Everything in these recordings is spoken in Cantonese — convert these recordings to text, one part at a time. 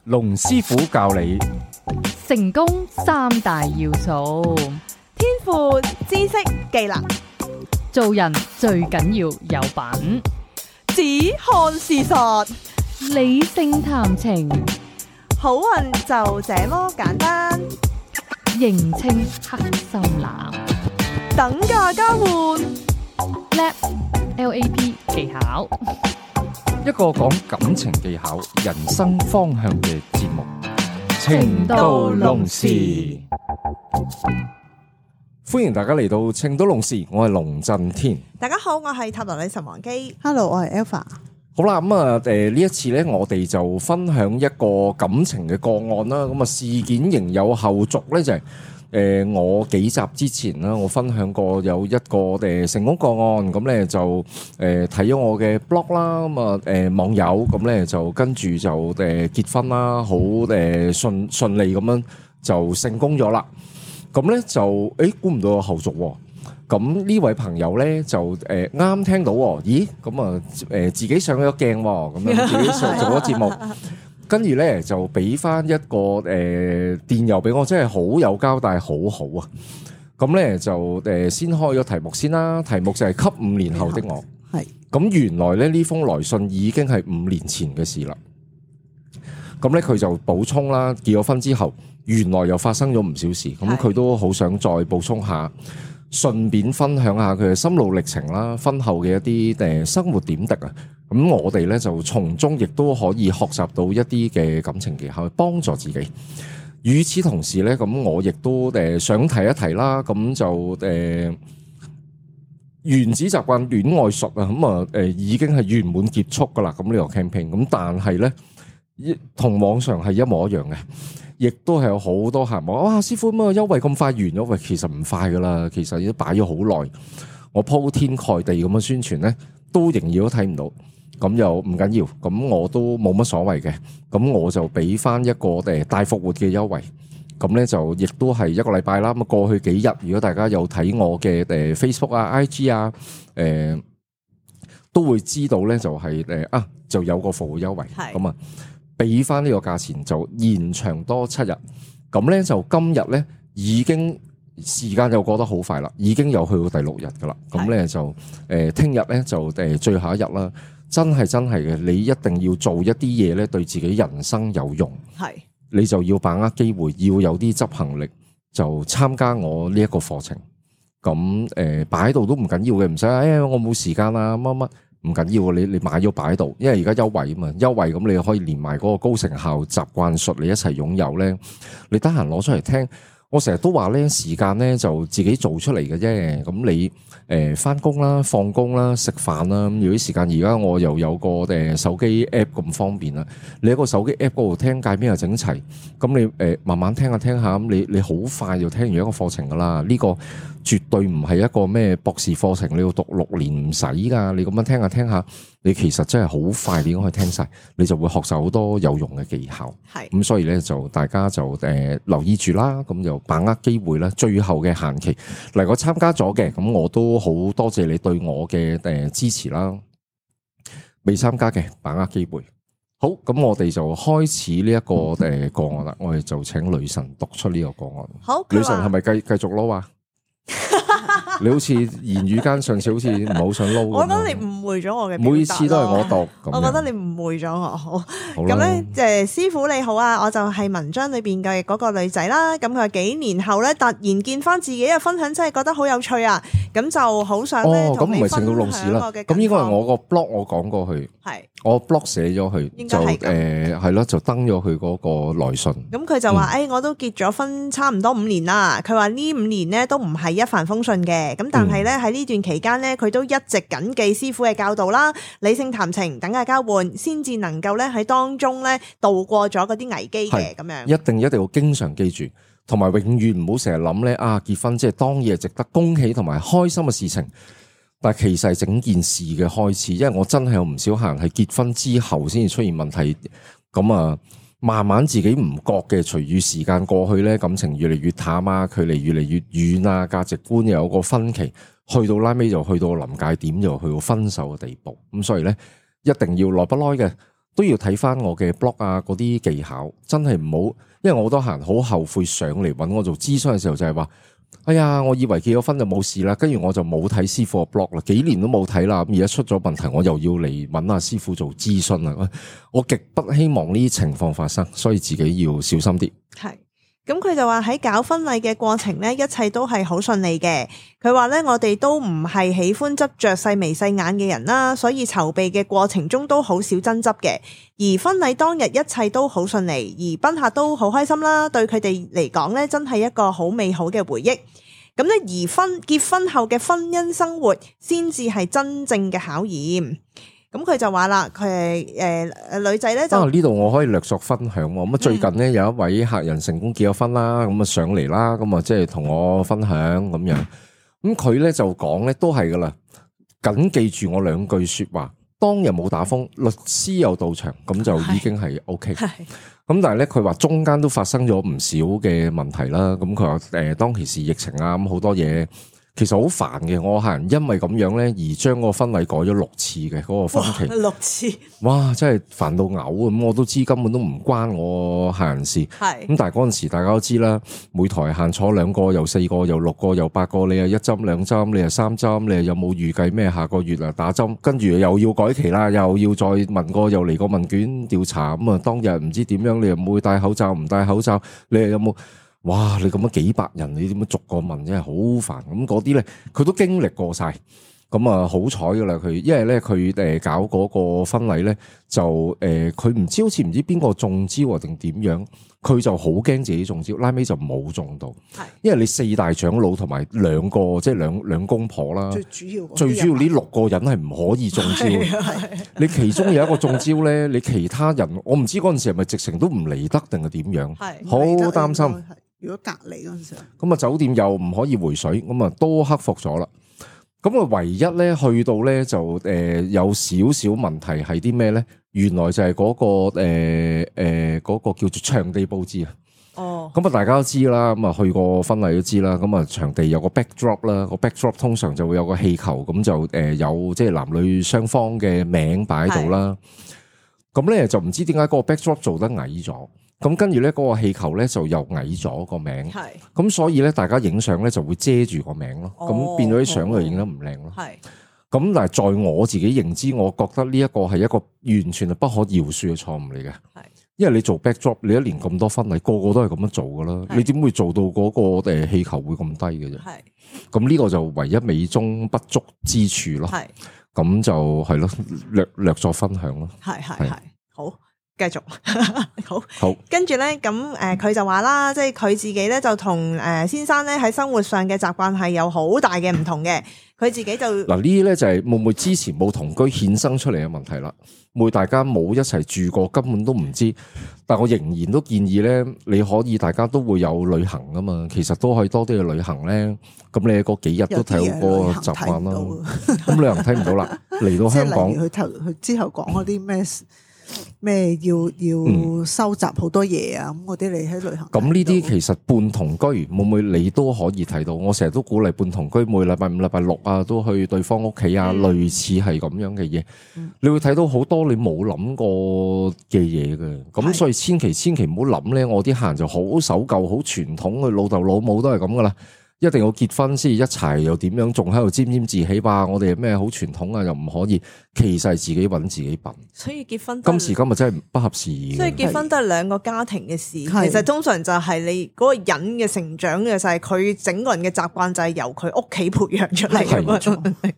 龍師傅教你成功三大要素，天賦、知識、技能，做人最緊要有品，只看事實，理性談情，好運就這麼簡單。認清黑心男，等價交換， LAP 技巧，一個講感情技巧、人生方向嘅節目《情到濃時》。歡迎大家嚟到《情到濃時》，我係龍震天。大家好，我係塔羅女神王姬。Hello，我係 Alpha。好啦，咁啊，呢一次咧，我哋就分享一個感情嘅個案啦。咁啊，事件仍有後續咧，就係我幾集之前啦，我分享過有一個成功個案，咁咧就睇咗我嘅 blog 啦，咁啊網友咁咧就跟住就結婚啦，好順利咁樣就成功咗啦。咁咧就估唔到有後續喎。咁呢位朋友咧就啱聽到，咦咁啊自己上咗鏡喎，咁樣自己上做咗節目，跟住咧就俾翻一個電郵俾我，真係好有交代，好好啊！咁咧就先開咗題目先啦，題目就係給5年後的我。係咁原來咧呢封來信已經係5年前嘅事啦。咁咧佢就補充啦，結咗婚之後，原來又發生咗唔少事，咁佢都好想再補充下。順便分享下佢嘅心路歷程啦，婚後嘅一啲生活點滴啊，咁我哋咧就從中亦都可以學習到一啲嘅感情技巧，去幫助自己。與此同時咧，咁我亦都想提一提啦，咁就原子習慣戀愛術啊，咁啊已經係圓滿結束噶啦，咁呢個 campaign，咁但係咧同網上係一模一樣嘅。亦都係有好多客人話：哇，師傅咁啊，優惠咁快完咗？喂，其實唔快噶啦，其實已經擺咗好耐。我鋪天蓋地咁樣宣傳咧，都仍然都睇唔到。咁又唔緊要，咁我都冇乜所謂嘅。咁我就俾翻一個大復活嘅優惠。咁咧就亦都係一個禮拜啦。咁過去幾日，如果大家有睇我嘅Facebook 啊、IG 啊，都會知道咧就係就有個復活優惠。咁啊。俾翻呢個價錢就延長多7日，咁咧就今日咧已經時間就過得好快啦，已經有去到第6日噶啦，咁咧就聽日咧就最後一日啦，真係嘅，你一定要做一啲嘢咧，對自己人生有用，係你就要把握機會，要有啲執行力，就參加我呢一個課程，咁擺喺度都唔緊要嘅，唔使我冇時間啊乜乜。唔緊要，你買咗擺喺度，因為而家優惠啊嘛，優惠咁你可以連埋嗰個高成效習慣術你一齊擁有咧，你得閒攞出嚟聽。我成日都話咧，時間咧就自己做出嚟嘅啫。咁你翻工啦、放工啦、食飯啦，咁有啲時間而家我又有個手機 app 咁方便啦。你喺個手機 app 嗰度聽界邊又整齊，咁你慢慢聽下，咁你好快就聽完一個課程噶啦。呢個絕對唔係一個咩博士課程，你要讀6年唔使噶。你咁樣聽下，你其實真係好快，你已經可以聽晒，你就會學習好多有用嘅技巧。係咁，所以咧就大家就留意住啦，咁就把握機會啦。最後嘅限期嚟，我參加咗嘅，咁我都好多謝你對我嘅支持啦。未參加嘅，把握機會。好，咁我哋就開始呢一個個案啦。我哋就請女神讀出呢個個案。好，女神係咪繼續撈啊？你好似言語間上次好似唔係好想撈。我覺得你誤會咗我嘅，每次都係我讀。我覺得你誤會咗我。好咁咧，師傅你好啊，我就係文章裏邊嘅嗰個女仔啦。咁佢幾年後咧，突然見翻自己嘅分享，真係覺得好有趣啊！咁就好想咧同你分享我嘅近況。咁應該係我個 blog 我講過去，係我 blog 寫咗佢，就係咯，就登咗佢嗰個來信。咁佢就話：我都結咗婚差唔多5年啦。佢話呢5年咧都唔係一帆風順嘅。咁但係咧喺呢段期間咧，佢都一直謹記師傅嘅教導啦，理性談情，等價交換，先至能夠咧喺當中咧度過咗嗰啲危機嘅咁樣。一定要經常記住，同埋永遠唔好成日諗咧結婚即係當然係值得恭喜同埋開心嘅事情，但係其實係整件事嘅開始。因為我真係有唔少客人係結婚之後先至出現問題，咁慢慢自己唔覺嘅，隨住時間過去咧，感情越嚟越淡啊，距離越嚟越遠啊，價值觀又有個分歧，去到拉尾就去到臨界點，就去到分手嘅地步。咁所以咧，一定要耐不耐嘅都要睇翻我嘅 blog 啊嗰啲技巧，真係唔好，因為我好多客人好後悔上嚟揾我做諮詢嘅時候就係話，哎呀，我以為結咗婚就冇事啦，跟住我就冇睇師傅嘅 blog 啦，幾年都冇睇啦，咁而家出咗問題，我又要嚟揾阿師傅做諮詢啦，我極不希望呢啲情況發生，所以自己要小心啲。係。咁佢就話喺搞婚禮嘅過程咧，一切都係好順利嘅。佢話咧，我哋都唔係喜歡執着細眉細眼嘅人啦，所以籌備嘅過程中都好少爭執嘅。而婚禮當日一切都好順利，而賓客都好開心啦，對佢哋嚟講咧，真係一個好美好嘅回憶。咁咧，而結婚後嘅婚姻生活先至係真正嘅考驗。咁佢就話啦，佢係女仔咧就呢度我可以略作分享喎。咁最近咧有一位客人成功結咗婚啦，咁上嚟啦，咁即係同我分享咁樣。咁佢咧就講咧都係噶啦，謹記住我兩句說話。當日冇打風，律師有到場，咁就已經係 OK。咁但係咧佢話中間都發生咗唔少嘅問題啦。咁佢話當其時疫情啊，咁好多嘢。其實好煩嘅，我客人因為咁樣咧而將個婚禮改咗6次嘅嗰個婚期，6次，哇！真係煩到嘔咁，我都知根本都唔關我客人事。係咁，但係嗰陣時大家都知啦，每台限坐2個，又4個，又6個，又8個，你又1針2針，你又3針，你又有冇預計咩下個月啊打針？跟住又要改期啦，又要再問過，又嚟個問卷調查咁啊！當日唔知點樣，你又冇戴口罩，唔戴口罩，你又有冇？哇！你咁樣幾百人，你點樣逐個問，真係好煩。咁嗰啲咧，佢都經歷過晒。咁啊，好彩噶啦佢，因為咧佢搞嗰個婚禮咧，就佢唔知好似唔知邊個中招啊定點樣，佢就好驚自己中招，拉尾就冇中到。係，因為你4大長老同埋2個即係兩公婆啦，最主要呢6個人係唔可以中招嘅。你其中有一個中招咧，你其他人我唔知嗰陣時係咪直情都唔嚟得定係點樣，好擔心。如果隔離嗰陣時，咁啊酒店又唔可以回水，咁啊都克服咗啦。咁啊唯一咧去到咧就有少少問題係啲咩咧？原來就係嗰個嗰個叫做場地佈置啊。哦，咁啊大家都知啦，咁啊去過婚禮都知啦。咁啊場地有個 backdrop 啦，個 backdrop 通常就會有個氣球，咁就有即係男女雙方嘅名擺喺度啦。咁咧就唔知點解嗰個 backdrop 做得矮咗。咁跟住咧，嗰個氣球咧就又矮咗個名，係咁所以咧，大家影相咧就會遮住個名咯，咁變咗啲相就影得唔靚咯。係咁，但係在我自己認知，我覺得呢一個係一個完全係不可饒恕嘅錯誤嚟嘅。係，因為你做 backdrop，你一年咁多婚禮，個個都係咁樣做噶啦，你點會做到嗰個氣球會咁低嘅啫？係，咁呢個就唯一美中不足之處咯。係，咁就係咯，略作分享咯。係好。繼續好，跟住咧咁佢就話啦，即係佢自己咧就同先生咧喺生活上嘅習慣係有好大嘅唔同嘅。佢自己就嗱呢啲咧就係會唔會之前冇同居衍生出嚟嘅問題啦？會大家冇一齊住過，根本都唔知。但我仍然都建議咧，你可以大家都會有旅行噶嘛，其實都可以多啲去旅行咧。咁你嗰幾日都睇好個習慣啦。咁旅行睇唔到啦，嚟到香港，佢之後講嗰啲咩要收集好多嘢啊，咁嗰啲你喺旅行。咁呢啲其實伴同居會唔會你都可以睇到？我成日都鼓勵伴同居，每禮拜5、禮拜6啊，都去對方屋企啊，類似係咁樣嘅嘢。你會睇到好多你冇諗過嘅嘢嘅。咁所以千祈唔好諗咧，我啲客人就好守舊、好傳統，佢老豆老母都係咁噶啦。一定要結婚先一齊，又點樣仲喺度沾沾自喜吧？我哋咩好傳統啊，又唔可以，其實係自己揾自己笨。所以結婚今時今日真係不合時宜。所以結婚都係2個家庭嘅事。其實通常就係你嗰個人嘅成長嘅，就係佢整個人嘅習慣就係由佢屋企培養出嚟嘅。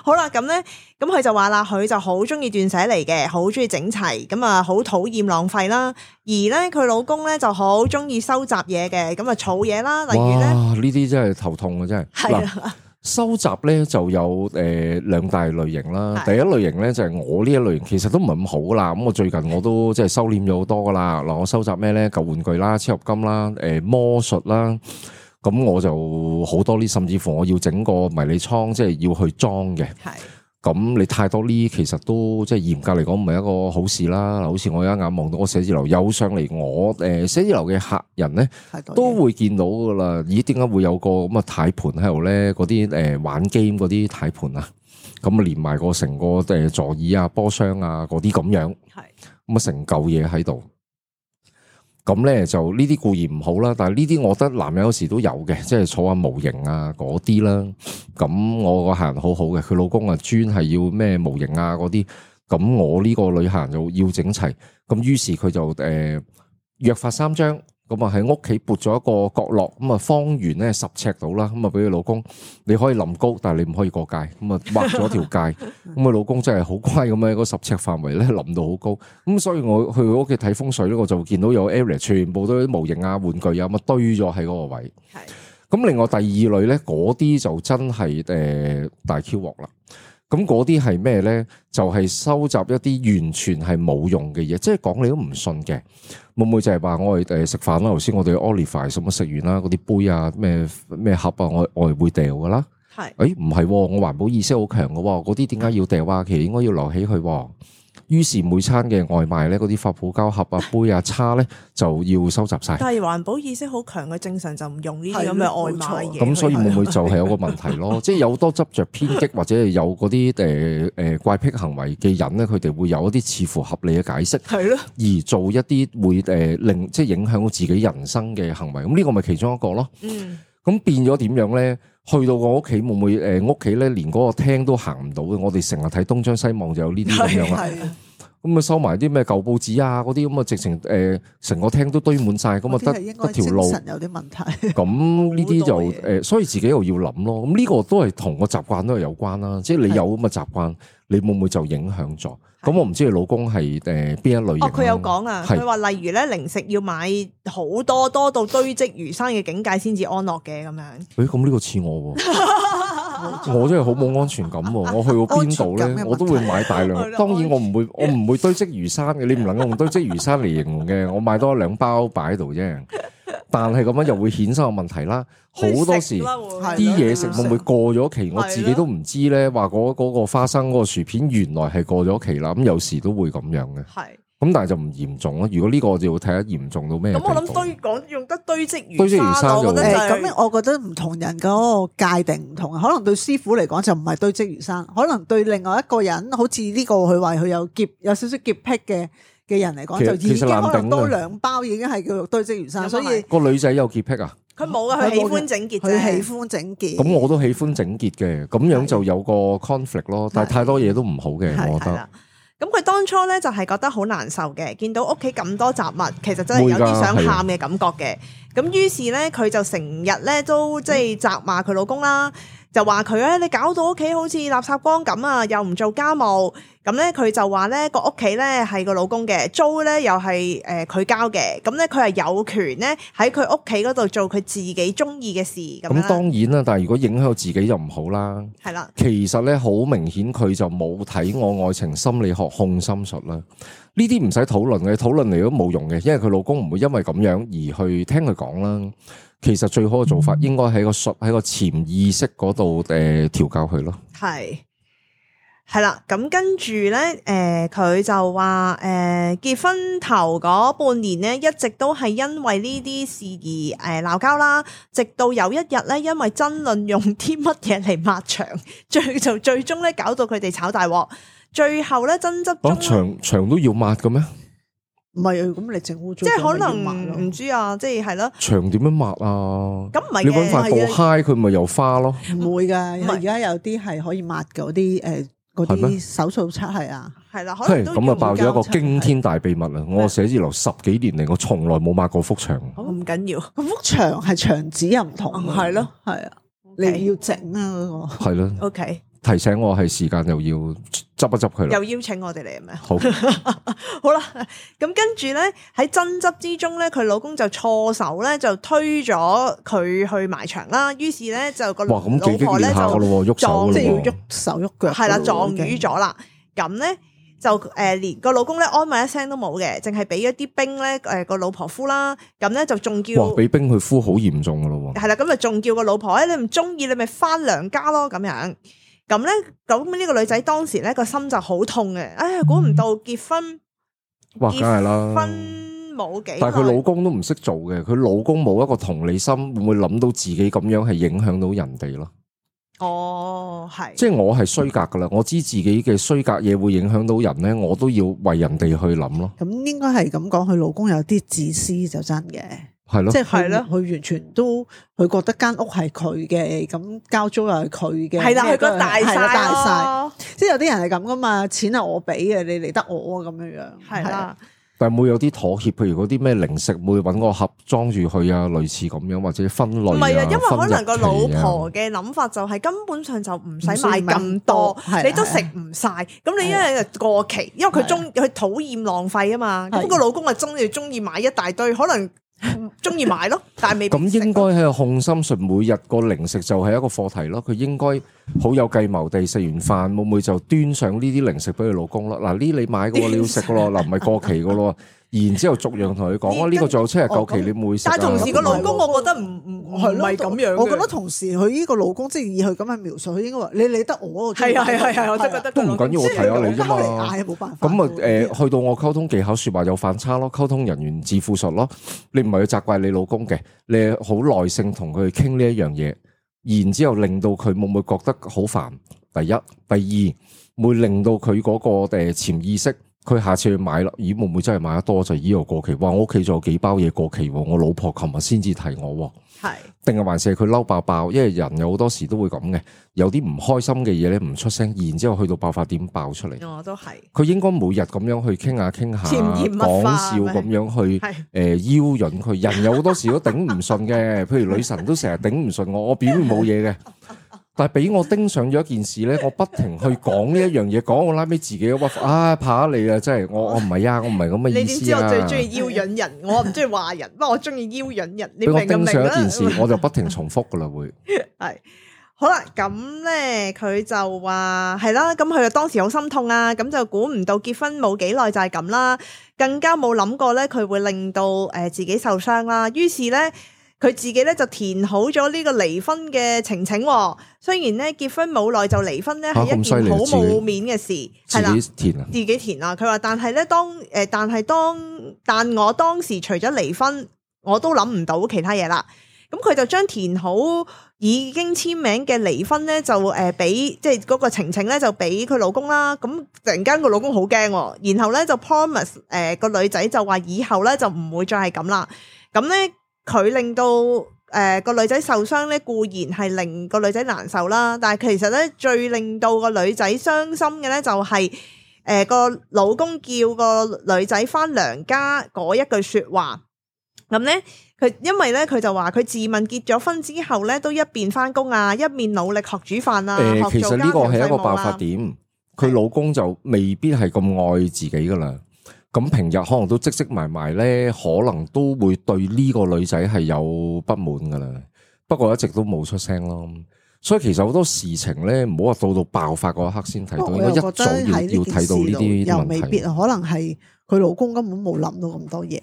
好啦，咁咧，咁佢就話啦，佢就好中意斷捨離嘅，好中意整齊，咁啊好討厭浪費啦。而咧佢老公咧就好中意收集嘢嘅，咁啊儲嘢啦，例如咧呢啲真係頭痛啊！真係嗱，收集咧就有2大類型啦。第一類型咧就係我呢一類型，其實都唔係咁好啦。咁我最近我都即係收斂咗好多噶啦。嗱，我收集咩咧？舊玩具啦、超合金啦、魔術啦。咁我就好多呢，甚至乎我要整個迷你倉，即係要去裝嘅。係。咁你太多呢，其實都即係嚴格嚟講唔係一個好事啦。好似我一眼望到我寫字樓有上嚟，我寫字樓嘅客人咧都會見到噶啦。咦？點解會有個咁嘅軚盤喺度咧？嗰啲玩 game 嗰啲軚盤啊，咁啊連埋個成個座椅啊、波箱啊嗰啲咁樣。係。咁啊成嚿嘢喺度。咁咧就呢啲固然唔好啦，但係呢啲我覺得男人有時都有嘅，即係坐下模型啊嗰啲啦。咁我個客人好好嘅，佢老公啊專係要咩模型啊嗰啲，咁我呢個女客人就要整齊。咁於是佢就約法三章，咁啊喺屋企撥咗一個角落，咁啊方圓咧10尺到啦，咁啊俾佢老公，你可以臨高，但係你唔可以過界，咁啊畫咗條界，咁佢老公真係好乖咁樣，嗰10尺範圍咧臨到好高，咁所以我去佢屋企睇風水咧，我就見到有 area 全部都啲模型啊、玩具啊咁啊堆咗喺嗰個位。係，咁另外第二類咧，嗰啲就真係大 Q 鑊啦。咁嗰啲係咩咧？就係收集一啲完全係冇用嘅嘢，即係講你都唔信嘅。會唔會就係話我哋食飯啦？頭先我哋 Olive 什麼食完啦，嗰啲杯啊、咩盒啊，我哋會掉噶啦。係，誒唔係，我環保意識好強嘅，嗰啲點解要掉啊？其實應該要留起去。於是每餐嘅外賣咧，嗰啲發泡膠盒啊、杯啊、叉咧，就要收集晒。但係環保意識好強嘅，正常就唔用呢啲咁嘅外賣嘢。咁所以會唔會就係有個問題咯？即係有多執着偏激或者係有嗰啲怪癖行為嘅人咧，佢哋會有一啲似乎合理嘅解釋，係咯，而做一啲會令即係影響到自己人生嘅行為。咁呢個咪其中一個咯。嗯。咁變咗點樣咧？去到我屋企會唔會屋企咧連嗰個廳都行唔到嘅？我哋成日睇東張西望就有呢啲咁樣啦。咁啊收埋啲咩舊報紙啊嗰啲咁啊，直情成個廳都堆滿晒，咁啊得條路。精神有啲問題。咁呢啲就所以自己又要諗咯。咁呢個都係同個習慣都係有關啦。即係你有咁嘅習慣，你會唔會就影響咗？咁我唔知你老公係邊一類型。佢有講啊，佢話例如咧零食要買好多到堆積如山嘅境界先至安樂嘅咁樣。咁呢個似我喎，我真係好冇安全感喎。我去過邊度咧，我都會買大量。當然我唔會堆積如山嘅，你唔能夠用堆積如山嚟形容嘅。我買多2包擺喺度啫。但係咁樣又會衍生個問題啦。好多時啲嘢食會唔會過咗期？我自己都唔知咧。話嗰個花生嗰個薯片原來係過咗期啦。咁有時都會咁樣嘅。係。咁但係就唔嚴重咯。如果呢個就要睇下嚴重到咩程度。咁我諗用得堆積如山，我覺得咁我覺得唔同人嗰個界定唔同啊。可能對師傅嚟講就唔係堆積如山，可能對另外一個人，好似呢個佢話佢有少少潔癖嘅人嚟講，就已經可能多2包已經係叫做堆積如山。所以個女仔有潔癖啊？佢冇啊，佢喜歡整潔，佢喜歡整潔。咁我都喜歡整潔嘅，咁樣就有個 conflict 咯。但係太多嘢都唔好嘅，我覺得。咁佢當初咧就係覺得好難受嘅，見到屋企咁多雜物，其實真係有啲想喊嘅感覺嘅。咁於是咧，佢就成日咧都即係責罵佢老公啦，就話佢咧你搞到屋企好似垃圾缸咁啊，又唔做家務。咁咧佢就話咧個屋企咧係個老公嘅，租咧又係佢交嘅。咁咧佢係有權咧喺佢屋企嗰度做佢自己中意嘅事。咁當然啦，但係如果影響到自己就唔好啦。係啦，其實咧好明顯佢就冇睇我愛情心理學控心術啦。呢啲唔使討論嘅，討論嚟都冇用嘅，因為佢老公唔會因為咁樣而去聽佢講啦。其實最好嘅做法應該喺個潛意識嗰度調教佢咯。係啦，咁跟住咧，佢就話結婚頭嗰半年咧，一直都係因為呢啲事而鬧交啦。直到有一日咧，因為爭論用啲乜嘢嚟抹牆，最終咧搞到佢哋炒大鑊。最後咧爭執中，牆都要抹嘅咩？唔係，咁你整污糟，即係可能唔知啊，即係咯。牆點樣抹啊？咁唔係嘅，你搵塊布揩佢咪又花咯？唔會噶，而家有啲係可以抹嗰啲嗰啲手掃漆係啊，係啦，可能都咁啊，爆咗一個驚天大秘密啊！我寫字樓10幾年嚟，我從來冇抹過幅牆。唔緊要，幅牆係牆紙又唔同，係咯，係啊，你要整啊嗰個，係咯，OK。提醒我係時間又要執一執佢啦，又邀請我哋嚟係咪？好，好啦，咁跟住咧喺爭執之中咧，佢老公就錯手咧就推咗佢去埋牆啦。於是咧就個老婆咧就撞，即係要喐手喐腳，係啦，撞瘀咗啦。咁咧就連個老公咧安慰一聲都冇嘅，淨係俾一啲冰咧個老婆敷啦。咁咧就仲叫俾冰佢敷好嚴重噶咯。係啦，咁就仲叫個老婆你唔中意你咪翻娘家咯咁樣。咁咧，咁呢個女仔當時咧個心就好痛嘅，哎呀，估唔到結婚，哇，梗係啦，結婚冇幾，但係佢老公都唔識做嘅，佢老公冇一個同理心，會唔會諗到自己咁樣係影響到人哋咯？哦，係，即係我係衰格噶啦，我知自己嘅衰格嘢會影響到人咧，我都要為人哋去諗咯。咁應該係咁講，佢老公有啲自私就真嘅，係咯，即係佢完全都佢覺得間屋係佢嘅，咁交租又係佢嘅，係啦，佢覺得大晒晒，即係有啲人係咁噶嘛，錢係我俾嘅，你嚟得我咁樣樣，係啦。但係會有啲妥協，譬如嗰啲咩零食會揾個盒裝住佢啊，類似咁樣或者分類唔係啊，因為可能個老分日期啊婆嘅諗法就係根本上就唔使買咁多，你都食唔晒。咁你一日過期，因為佢討厭浪費啊嘛。咁個老公啊中意買一大堆，可能中意買咯，但係未必食。咁應該係控心術，每日個零食就係一個課題咯。佢應該好有計謀地食完飯，會唔會就端上呢啲零食俾佢老公咯？嗱，呢你買嘅喎，你要食嘅咯，嗱唔係過期嘅咯。然之後逐樣同佢講，呢個仲有7日夠期，你唔會食。但係同時個老公，我覺得唔係咁樣。我覺得同時佢呢個老公，即係以佢咁嘅描述，佢應該話你理得我。係啊，我都覺得都唔緊要，我睇下你啫嘛。嗌冇辦法。咁啊去到我溝通技巧説話有反差咯，溝通人員自負術咯。你唔係去責怪你老公嘅，你好耐性同佢傾呢一樣嘢，然之後令到佢會唔會覺得好煩？第一，第二會令到佢嗰個潛意識。佢下次去買啦，咦會唔會真係買得多就依個過期？哇！我屋企仲有幾包嘢過期喎，我老婆琴日先至提我喎。係，定係還是係佢嬲爆爆？因為人有好多時都會咁嘅，有啲唔開心嘅嘢咧唔出聲，然之後去到爆發點爆出嚟。我都係。佢應該每日咁樣去傾下，講笑咁樣去邀引佢。人有好多時都頂唔順嘅，譬如女神都成日頂唔順我表面冇嘢嘅。但係俾我盯上咗一件事咧，我不停去講呢一樣嘢，講我拉尾自己屈服，怕你啊！真係我唔係啊，我唔係咁嘅意思啊！你點知我最中意邀引人？我唔中意話人，不過我中意邀引人。你明唔明啊？俾我盯上一件事，我就不停重複噶啦，會係好啦。咁咧，佢就話係啦。咁佢就當時好心痛啊。咁就估唔到結婚冇幾耐就係咁啦，更加冇諗過咧佢會令到自己受傷啦。於是咧。佢自己咧就填好咗呢個離婚嘅情情，雖然咧結婚冇耐就離婚咧係一件好冇面嘅事，係啦，自己填啊。佢話但係咧但我當時除咗離婚，我都諗唔到其他嘢啦。咁佢就將填好已經簽名嘅離婚咧就俾即係嗰個情情咧就俾佢老公啦。咁突然間個老公好驚，然後咧就 promise 個女仔就話以後咧就唔會再係咁啦。咁咧。佢令到個女仔受傷咧，固然係令個女仔難受啦，但係其實咧最令到個女仔傷心嘅咧就係個老公叫個女仔返娘家嗰一句說話。咁咧佢因為咧佢就話佢自問結咗婚之後咧都一邊返工啊，一面努力學煮飯啊。其實呢個係一個爆發點，佢老公就未必係咁愛自己噶啦。咁平日可能都積積埋埋咧，可能都會對呢個女仔係有不滿噶啦。不過一直都冇出聲咯。所以其實好多事情咧，唔好話到爆發嗰一刻先睇到，應該一早要睇到呢啲又未必，可能係佢老公根本冇諗到咁多嘢，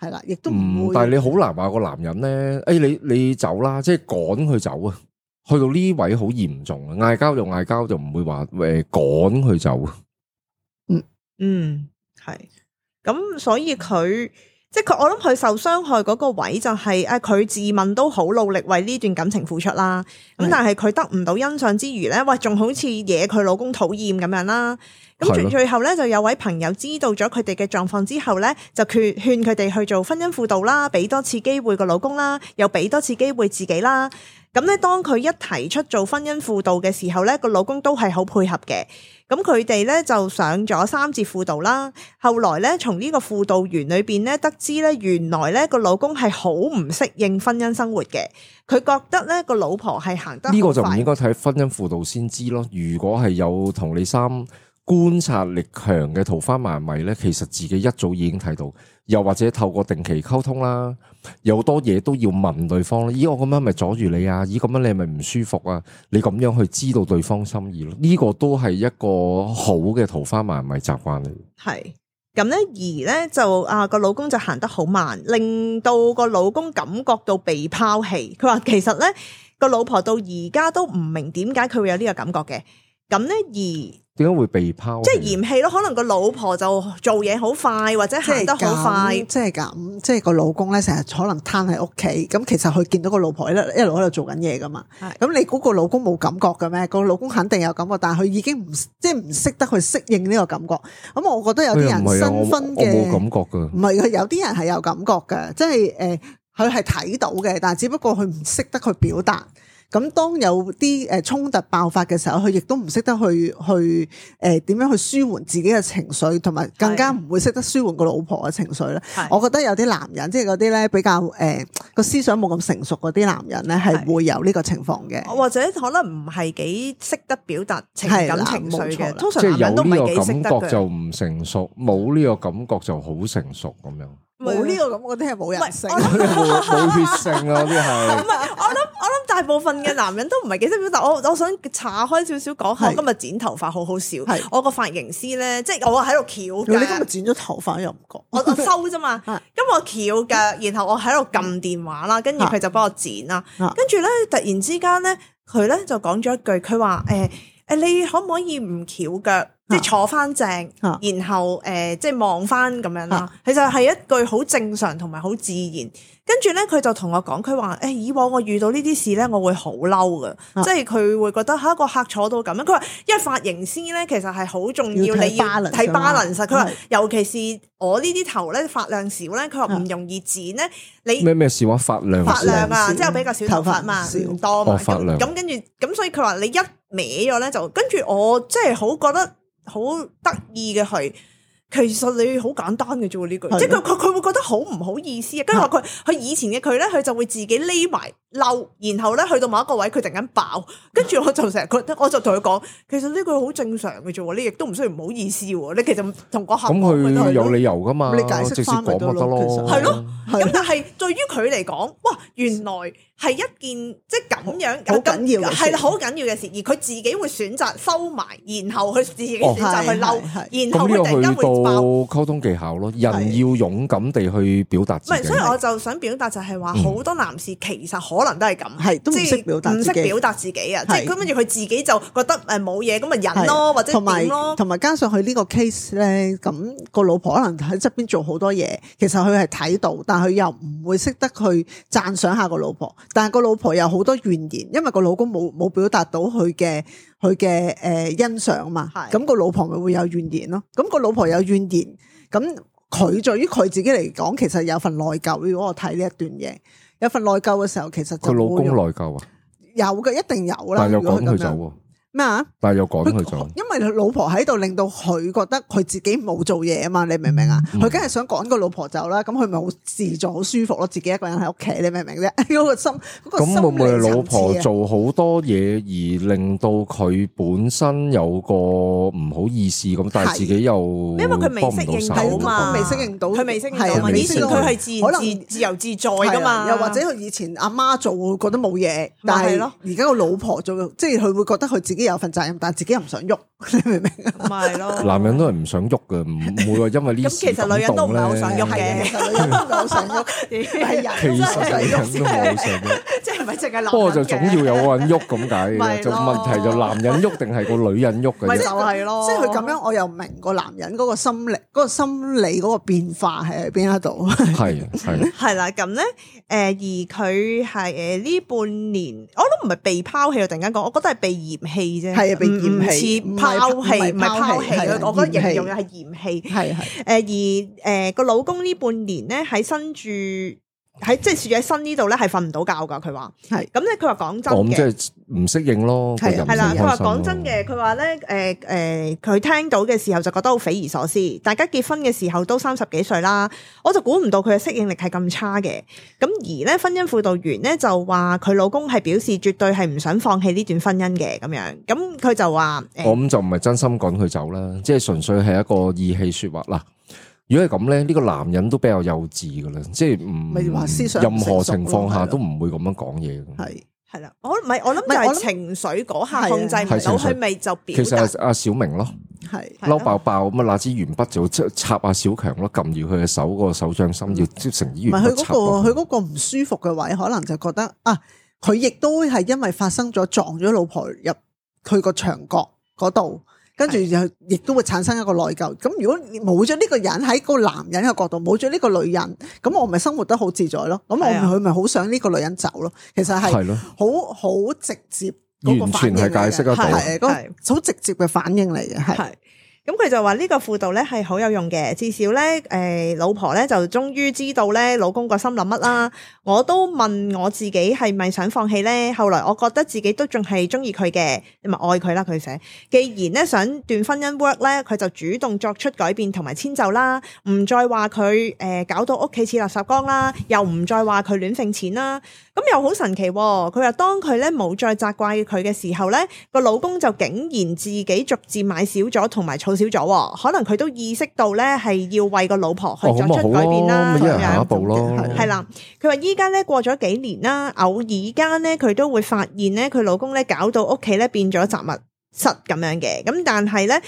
係啦，亦都唔會。但係你好難話個男人咧，你走啦，即係趕佢走啊。去到呢位好嚴重啊，嗌交就嗌交，就唔會話趕佢走。係咁，所以佢即係我諗佢受傷害嗰個位就係佢自問都好努力為呢段感情付出啦。咁但係佢得唔到欣賞之餘咧，喂，仲好似惹佢老公討厭咁樣啦。咁最後咧就有位朋友知道咗佢哋嘅狀況之後咧，就勸佢哋去做婚姻輔導啦，俾多次機會個老公啦，又俾多次機會自己啦。咁咧，當佢一提出做婚姻輔導嘅時候咧，個老公都係好配合嘅。咁佢哋咧就上咗3節輔導啦。後來咧，從呢個輔導員裏邊咧得知咧，原來咧個老公係好唔適應婚姻生活嘅。佢覺得咧個老婆係行得好快。呢個就唔應該睇婚姻輔導先知咯。如果係有同理心、觀察力強嘅桃花麻迷咧，其實自己一早已經睇到。又或者透過定期溝通啦，有好多嘢都要問對方。咦，我咁樣咪阻住你啊？咦，咁樣你係咪唔舒服啊？你咁樣去知道對方心意咯，呢個都係一個好嘅桃花麻迷習慣嚟。係咁咧，而咧就個老公就行得好慢，令到個老公感覺到被拋棄。佢話其實咧個老婆到而家都唔明點解佢會有呢個感覺嘅。咁咧點解會被拋棄？即係嫌棄咯，可能個老婆就做嘢好快，或者行得好快，即係咁，即係個老公咧成日可能攤喺屋企，咁其實佢見到個老婆一路喺度做緊嘢噶嘛。咁你估個老公冇感覺嘅咩？個老公肯定有感覺，但係佢已經唔識得去適應呢個感覺。咁我覺得有啲人新婚嘅，我冇感覺噶，唔係佢有啲人係有感覺嘅，即係佢係睇到嘅，但係只不過佢唔識得去表達。咁當有啲衝突爆發嘅時候，佢亦都唔識得去點樣去舒緩自己嘅情緒，同埋更加唔會識得舒緩個老婆嘅情緒咧。我覺得有啲男人，即係嗰啲咧比較個思想冇咁成熟嗰啲男人咧，係會有呢個情況嘅，或者可能唔係幾識得表達情感情緒嘅。通常即係男人都唔係有呢個幾識得嘅。感覺就唔成熟，冇呢個感覺就好成熟咁樣。冇呢個感覺啲係冇人性，冇血性啊！啲係唔係，我諗大部分嘅男人都唔係幾識表達。我想岔開少少講下，我今日剪頭髮好好笑。我個髮型師咧，即係我喺度翹腳。你今日剪咗頭髮又唔覺？我收啫嘛。咁我翹腳，然後我喺度撳電話啦，跟住佢就幫我剪啦。跟住咧，突然之間咧，佢咧就講咗一句，佢話你可唔可以唔翹腳？即係坐翻正，然後即係望翻咁樣啦。其實係一句好正常同埋好自然。跟住咧，佢就同我講，佢話以往我遇到呢啲事咧，我會好嬲噶，即係佢會覺得一個客坐到咁樣。佢話因為髮型師咧，其實係好重要，你要睇 balance。佢話尤其是我呢啲頭咧髮量少咧，佢話唔容易剪咧。你咩事話髮量啊？即係比較少頭髮嘛，唔多嘛。咁跟住咁，所以佢話你一歪咗咧，就跟住我即係好覺得好得意嘅係。其實你好簡單嘅啫喎呢句，即係佢會覺得好唔好意思啊。跟住話佢以前嘅佢咧，佢就會自己匿埋嬲，然後咧去到某一個位佢突然間爆，跟住我就成日覺得，我就同佢講，其實呢句好正常嘅啫喎，你亦都唔需要唔好意思喎。你其實同個客咁佢有理由噶嘛，你解釋直接講咪得咯。係咯，咁但係對於佢嚟講，哇，原來係一件即係咁樣好緊要嘅事，係好緊要嘅事，而佢自己會選擇收埋，然後佢自己選擇去嬲，然後佢突然間會爆。溝通技巧咯，人要勇敢地去表達自己。唔係，所以我就想表達就係話，好多男士其實可能都係咁，係都唔識表達，唔識表達自己啊！即係跟住佢自己就覺得冇嘢，咁咪忍咯，或者點咯。同埋加上佢呢個 case 咧，咁個老婆可能喺側邊做好多嘢，其實佢係睇到，但係佢又唔會識得去讚賞下個老婆。但係個老婆有好多怨言，因為個老公冇表達到佢嘅欣賞嘛。咁個老婆咪會有怨言咯。咁個老婆有怨言。咁佢對於佢自己嚟講，其實有份內疚。如果我睇呢一段嘢，有份內疚嘅時候，其實佢老公內疚啊，有嘅，一定有啦。但係又趕佢走喎。咩啊？但係又趕佢走，因為佢老婆喺度，令到佢覺得佢自己冇做嘢啊嘛，你明唔明啊？佢梗係想趕個老婆走啦，咁佢咪好自在、好舒服咯，自己一個人喺屋企，你明唔明啫？嗰個心，咁會唔會老婆做好多嘢而令到佢本身有個唔好意思咁，但係自己又因為佢未適應到嘛，未適應到，佢未適應到嘛。以前佢係可能自由自在噶嘛，又或者佢以前阿媽做會覺得冇嘢，但係而家個老婆做，即係佢會覺得佢自己有份責任，但係自己又唔想喐，你明唔明啊？咪係咯，男人都係唔想喐嘅，唔會話因為呢咁其實女人都唔係好想喐嘅，其實女人都唔係好想喐，係人其實女人都唔係好想喐，即係唔係淨係男人嘅？不過就總要有個人喐咁解嘅，就問題就男人喐定係個女人喐嘅啫。咪就係咯，即係佢咁樣，我又明個男人嗰個心理嗰個變化係喺邊一度？係啦，咁咧而佢係呢半年，我都唔係被拋棄，我突然間講，我覺得係被嫌棄啫，係啊，被嫌棄，唔係拋棄，我覺得形容嘅係嫌棄，係而個老公呢半年咧喺新住即係住喺新呢度咧係瞓唔到覺噶，佢話係咁咧，佢話講真嘅，即係唔適應咯，係啦，佢話講真嘅，佢話咧佢聽到嘅時候就覺得好匪夷所思，大家結婚嘅時候都30幾歲啦，我就估唔到佢嘅適應力係咁差嘅，咁而咧婚姻輔導員咧就話佢老公係表示絕對係唔想放棄呢段婚姻嘅咁樣，咁佢就話我咁就唔係真心趕佢走啦，即係純粹係一個意氣說話啦。如果係咁咧，呢個男人都比較幼稚噶啦，即係唔任何情況下都唔會咁樣講嘢嘅。係啦，我諗就係情緒嗰下控制唔到，佢咪就表達。其實係阿小明咯，嬲爆爆咁啊，拿支鉛筆就插阿小強咯，撳住佢嘅手個手掌心，要即成支鉛筆插落去。佢嗰個唔舒服嘅位，可能就覺得啊，佢亦都係因為發生咗撞咗老婆入佢個牆角嗰度。跟住就亦都會產生一個內疚。咁如果冇咗呢個人喺個男人嘅角度，冇咗呢個女人，咁我咪生活得好自在咯。咁佢咪好想呢個女人走咯。其實係好直接，完全係解釋得到，係好直接嘅反應嚟嘅，係。咁佢就話呢個輔導咧係好有用嘅，至少咧老婆咧就終於知道咧老公個心諗乜啦。我都問我自己係咪想放棄咧，後來我覺得自己都仲係中意佢嘅，咪愛佢啦。佢寫，既然咧想段婚姻 work 咧，佢就主動作出改變同埋遷就啦，唔再話佢搞到屋企似垃圾缸啦，又唔再話佢亂揈錢啦。咁又好神奇喎！佢話當佢咧冇再責怪佢嘅時候咧，個老公就竟然自己逐漸買少咗同埋儲少咗，可能佢都意識到咧係要為個老婆去作出改變啦。咁一人行一步咯。係啦，佢話依家咧過咗幾年啦，偶爾間咧佢都會發現咧佢老公咧搞到屋企咧變咗雜物室咁樣嘅。咁但係咧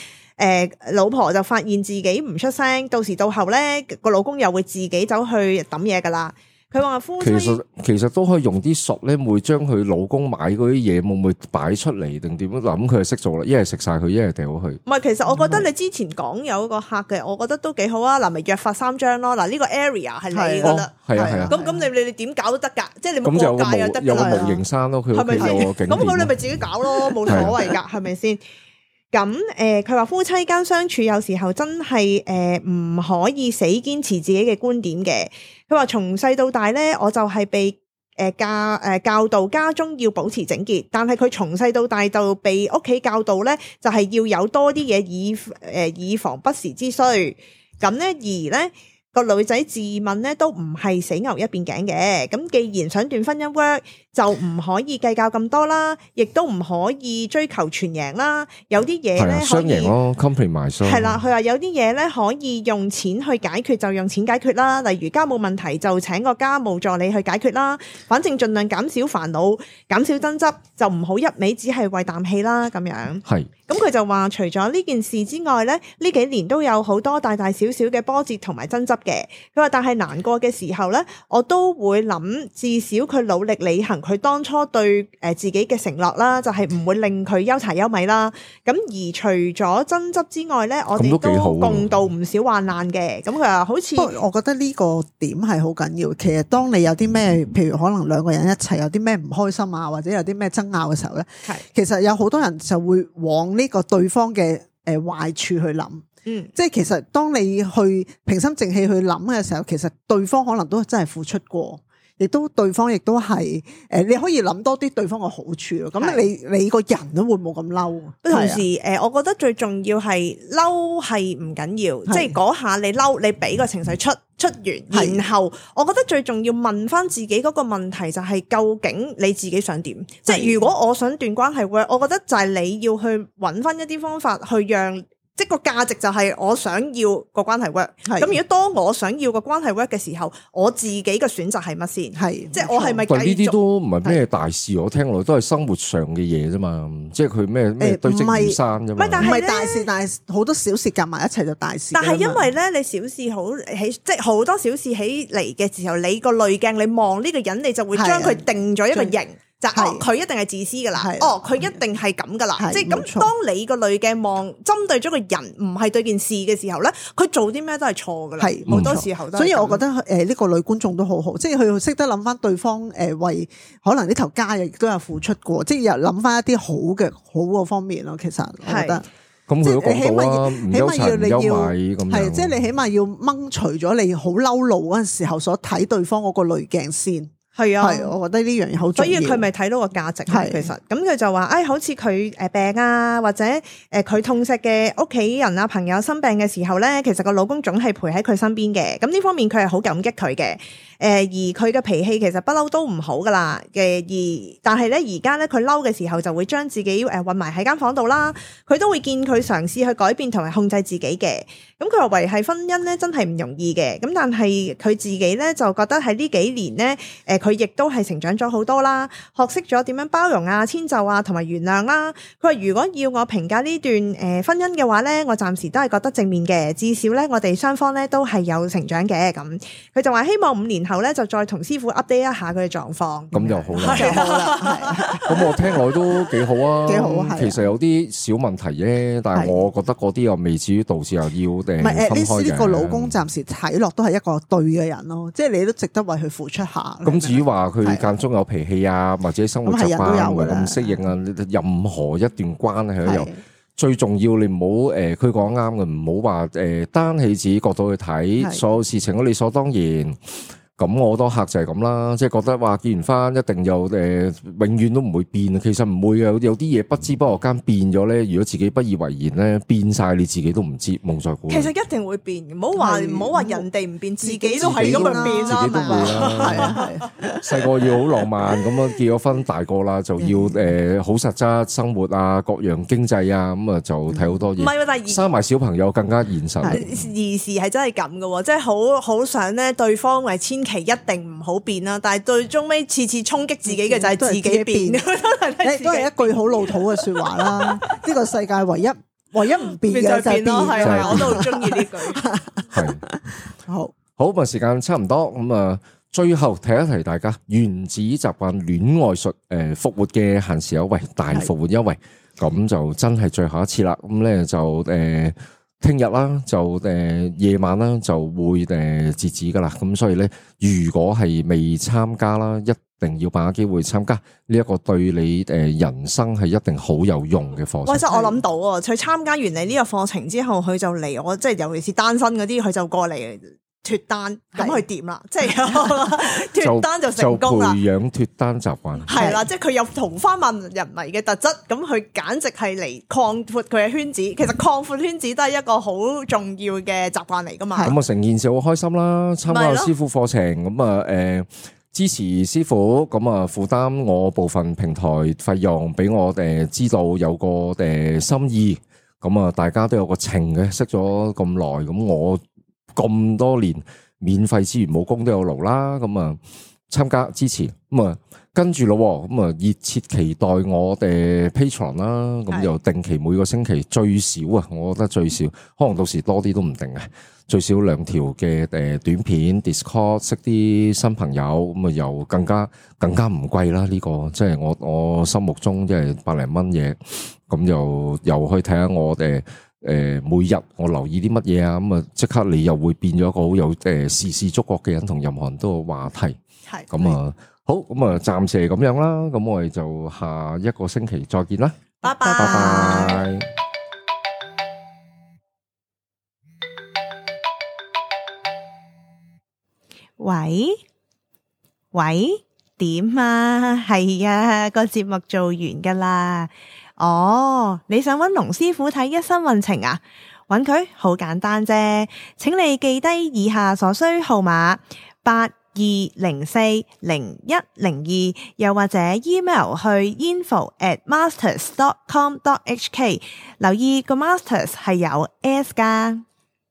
老婆就發現自己唔出聲，到時到後咧個老公又會自己走去抌嘢噶啦。佢話夫妻其實都可以用啲術咧，會將佢老公買嗰啲嘢會唔會擺出嚟定點？嗱，咁佢就識做啦，一係食晒佢，一係掉佢。唔係，其實我覺得你之前講有一個客嘅，我覺得都幾好啊。嗱，咪約法3章咯。嗱，呢個 area 係你噶啦，係啊。咁你點搞都得㗎，即係你冇國界又得㗎啦。有個模型山咯，佢屋企有個景點。咁你咪自己搞咯，冇所謂㗎，係咪先？咁佢話夫妻間相處有時候真係唔可以死堅持自己嘅觀點嘅。佢話從細到大咧，我就係被教導家中要保持整潔，但係佢從細到大就被屋企教導咧，就係要有多啲嘢以防不時之需。咁咧而咧個女仔自問咧都唔係死牛一邊頸嘅。咁既然想段婚姻 work，就唔可以計較咁多啦，亦都唔可以追求全贏啦。有啲嘢咧雙贏咯 ，compromise 係啦。佢話有啲嘢咧可以用錢去解決，就用錢解決啦。例如家務問題就請個家務助理去解決啦。反正盡量減少煩惱，減少爭執，就唔好一味只係為啖氣啦。咁樣係。咁佢就話除咗呢件事之外咧，呢幾年都有好多大大小小嘅波折同埋爭執嘅。佢話但係難過嘅時候咧，我都會諗，至少佢努力履行佢當初對自己嘅承諾啦，就係唔會令佢憂柴憂米啦。咁而除咗爭執之外咧，我哋都共度唔少患難嘅。咁佢話好似，不過我覺得呢個點係好緊要。其實當你有啲咩，譬如可能兩個人一齊有啲咩唔開心啊，或者有啲咩爭拗嘅時候咧，其實有好多人就會往呢個對方嘅壞處去諗。即係其實當你去平心靜氣去諗嘅時候，其實對方可能都真係付出過。亦都對方亦都係你可以諗多啲對方嘅好處咯。咁你個人都會冇咁嬲。同時我覺得最重要係嬲係唔緊要，即係嗰下你嬲，你俾個情緒出完，然後我覺得最重要問翻自己嗰個問題就係究竟你自己想點？即係如果我想斷關係 work，我覺得就係你要去揾翻一啲方法去讓。即係個價值就係我想要個關係 work，咁如果當我想要個關係 work 嘅時候，我自己嘅選擇係乜先？係即係我係咪繼續？呢啲都唔係咩大事，我聽落都係生活上嘅嘢啫嘛。即係佢咩堆積如山啫嘛。唔係大事，但係好多小事夾埋一齊就大事。但係因為咧，你小事好起，即係好多小事起嚟嘅時候，你個濾鏡你望呢個人，你就會將佢定咗一個型。就佢一定係自私噶啦，佢一定係咁噶啦，即係咁。當你個濾鏡望針對咗個人，唔係對件事嘅時候咧，佢做啲咩都係錯噶啦，好多時候都。所以我覺得呢個女觀眾都好好，即係佢識得諗翻對方為可能呢頭家亦都有付出過，即係又諗翻一啲好嘅方面咯。其實我覺得，咁佢都講到啦，唔憂柴唔憂米咁樣。係即係你起碼要掹除咗你好嬲怒嗰陣時候所睇對方嗰個濾鏡先。係啊，我覺得呢樣嘢好重要。所以佢咪睇到個價值。其實咁佢就話，好似佢病啊，或者佢痛錫嘅屋企人啊、朋友生病嘅時候咧，其實個老公總係陪喺佢身邊嘅。咁呢方面佢係好感激佢嘅。而佢嘅脾氣其實不嬲都唔好噶啦嘅。但係咧而家咧佢嬲嘅時候就會將自己韞埋喺間房度啦。佢都會見佢嘗試去改變同埋控制自己嘅。咁佢話維繫婚姻咧真係唔容易嘅。咁但係佢自己咧就覺得喺呢幾年咧，佢佢亦都係成長咗好多啦，學識咗點樣包容啊、遷就啊同埋原諒啦。佢話如果要我評價呢段婚姻嘅話咧，我暫時都係覺得正面嘅，至少咧我哋雙方咧都係有成長嘅。咁佢就話希望5年後咧就再同師傅 update 一下佢嘅狀況。咁就好啦，係好啦，咁我聽落都幾好啊，幾好啊係啊其實有啲小問題啫，但係我覺得嗰啲又未至於導致又要唔係分開嘅。呢個老公暫時睇落都係一個對嘅人咯，即係你都值得為佢付出下。咁至於話佢間中有脾氣啊，或者生活習慣唔係咁適應啊，任何一段關係都有。最重要你唔好佢講啱嘅，唔好話單起自己角度去睇所有事情都理所當然。咁我好多客就係咁啦，即係覺得話結完婚一定又永遠都唔會變，其實唔會嘅，有啲嘢不知不覺間變咗咧。如果自己不以為然咧，變晒你自己都唔知，蒙在鼓裏。其實一定會變，唔好話人哋唔變，自己都係咁樣變啦，自己都會啦。係啊係。細個要好浪漫咁樣，結咗婚大個啦就要好實質生活啊，各樣經濟啊，咁啊就睇好多嘢。唔係，但係生埋小朋友更加現實。兒時係真係咁嘅，即係好想咧對方為千祈一定唔好變啦，但係最終尾次衝擊自己嘅就係自己變，都係一句好老土嘅説話啦。呢個世界唯一唔變嘅就係變咯，係我都好中意呢句。係好咁啊，時間差唔多咁啊，最後提一提大家原子習慣戀愛術復活嘅限時優惠大復活優惠，咁就真係最後一次啦。咁咧就聽日啦，就夜晚啦就會截止噶啦。咁所以咧，如果係未參加啦，一定要把握機會參加呢一個對你人生係一定好有用嘅課程。喂，真我諗到啊，佢參加完你呢個課程之後，佢就嚟我，即係尤其是單身嗰啲，佢就過嚟脫單，咁佢掂啦，即係脫單就成功啦。就培養脫單習慣。係啦，即係佢有桃花萬人迷嘅特質，咁佢簡直係嚟擴闊佢嘅圈子。其實擴闊圈子都係一個好重要嘅習慣嚟噶嘛。咁啊，成件事好開心啦！參加師傅課程，咁啊支持師傅，咁啊負擔我部分平台費用，俾我知道有個心意。咁啊，大家都有個情嘅，識咗咁耐，咁我咁多年免費資源冇功都有勞啦。咁啊參加支持，咁啊跟住咯，咁啊熱切期待我哋 Patreon 啦。咁就定期每個星期最少啊，我覺得最少，可能到時多啲都唔定嘅。最少2條嘅短片 Discord 識啲新朋友，咁啊又更加唔貴啦。呢個即係我心目中即係100零蚊嘢，咁又可以睇下我哋每日我留意啲乜嘢啊，咁啊即刻你又會變咗一個好有時事觸覺嘅人，同任何人都有話題。係咁啊，好，咁啊暫時係咁樣啦，咁我哋就下一個星期再見啦，拜拜。拜拜。喂，點啊？係啊，個節目做完噶啦。哦，你想揾龍師傅睇一生運程啊？揾佢好簡單啫，請你記低以下所需號碼82040102，又或者 email 去 info@masters.com.hk， 留意個 masters 係有 S 噶。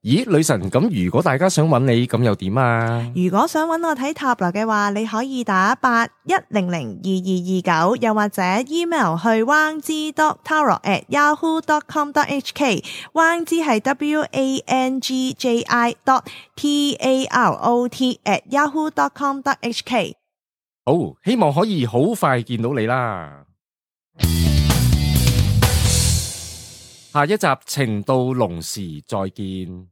咦，女神，咁如果大家想揾你，咁又點啊？如果想揾我睇塔羅嘅話，你可以打81002229，又或者 email 去 wangzi.tarot@yahoo.com.hk， wangzi 係 WANGJI.TAROT@yahoo.com.hk。好，希望可以好快見到你啦。下一集情到濃時再見。